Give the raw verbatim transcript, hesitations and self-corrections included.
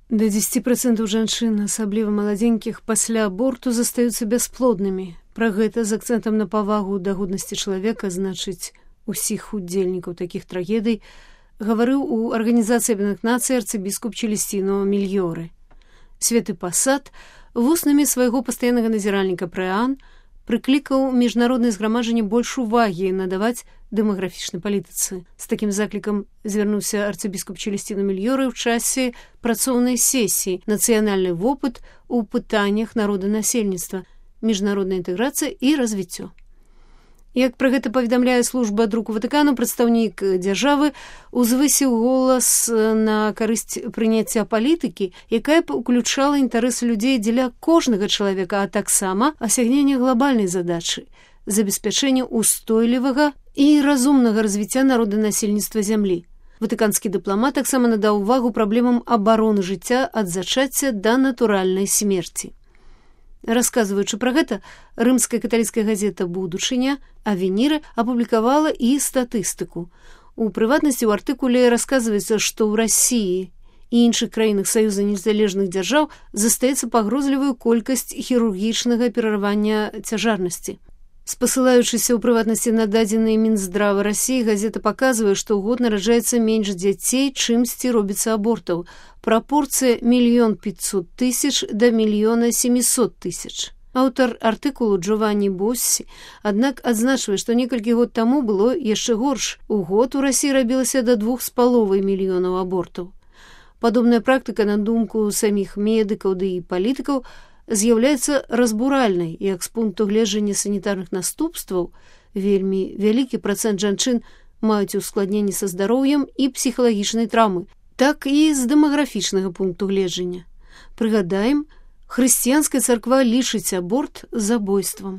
Да дзесяці працэнтаў жанчын, асабліва маладзенькіх, пасля аборту застаюцца бясплоднымі. Пра гэта з акцэнтам на павагу да годнасці чалавека, значыць, усіх удзельнікаў такіх трагедый, гаварыў у Арганізацыі Аб'яднаных Нацый арцыбіскуп Челестіно Мільёрэ. Светы Пасад вуснамі свайго пастаяннага назіральніка Прэан прыклікаў міжнароднае зграмаджанне больш увагі надаваць дэмаграфічнай палітыцы. З такім заклікам звярнуўся арцыбіскуп Челестіно Мільёрэ ў часе працоўнай сесіі «Нацыянальны вопыт у пытаннях народанасельніцтва, міжнародная інтэграцыя і развіццё». Як пра гэта паведамляе служба друку Ватыкану, прадстаўнік дзяржавы узвысіў голас на карысць прыняцця палітыкі, якая б уключала інтарэсы людзей дзеля кожнага чалавека, а таксама асягнення глобальнай задачы – забеспячэння устойлівага і разумнага развіцця народанасельніцтва зямлі. Ватыканскі дыпламат таксама надаў увагу праблемам абароны жыцця ад зачацця да натуральнай смерці. Расказваючы пра гэта, рымская каталіцкая газета «Будучыня» Авеніры апублікавала і статыстыку. У прыватнасці ў артыкуле расказваецца, што ў Расіі і іншых краінах Саюза незалежных дзяржаў застаецца пагрозлівая колькасць хірургічнага перарывання цяжарнасці. Спасылаючыся ў прыватнасці на дадзеныя Мінздрава Расіі, газета паказвае, што ў год нараджаецца менш дзяцей, чымсьці робіцца абортаў. Прапорцыя мільён пятьсот тысяч да мільёна семісот тысяч. Аўтар артыкулу Джованні Боссі, аднак адзначвае, што некалькі год таму было яшчэ горш. У год у Расіі рабілася да двух з паловай мільёнаў абортаў. Падобная практыка, на думку саміх медыкаў ды і палітыкаў, з'яўляецца разбуральнай, як з пункту гледжання санітарных наступстваў вельмі вялікі працэнт жанчын маюць ускладненні са здароўем і псіхалагічнай траўмы, так і з дэмаграфічнага пункту гледжання. Прыгадаем, хрысціянская царква лічыць аборт забойствам.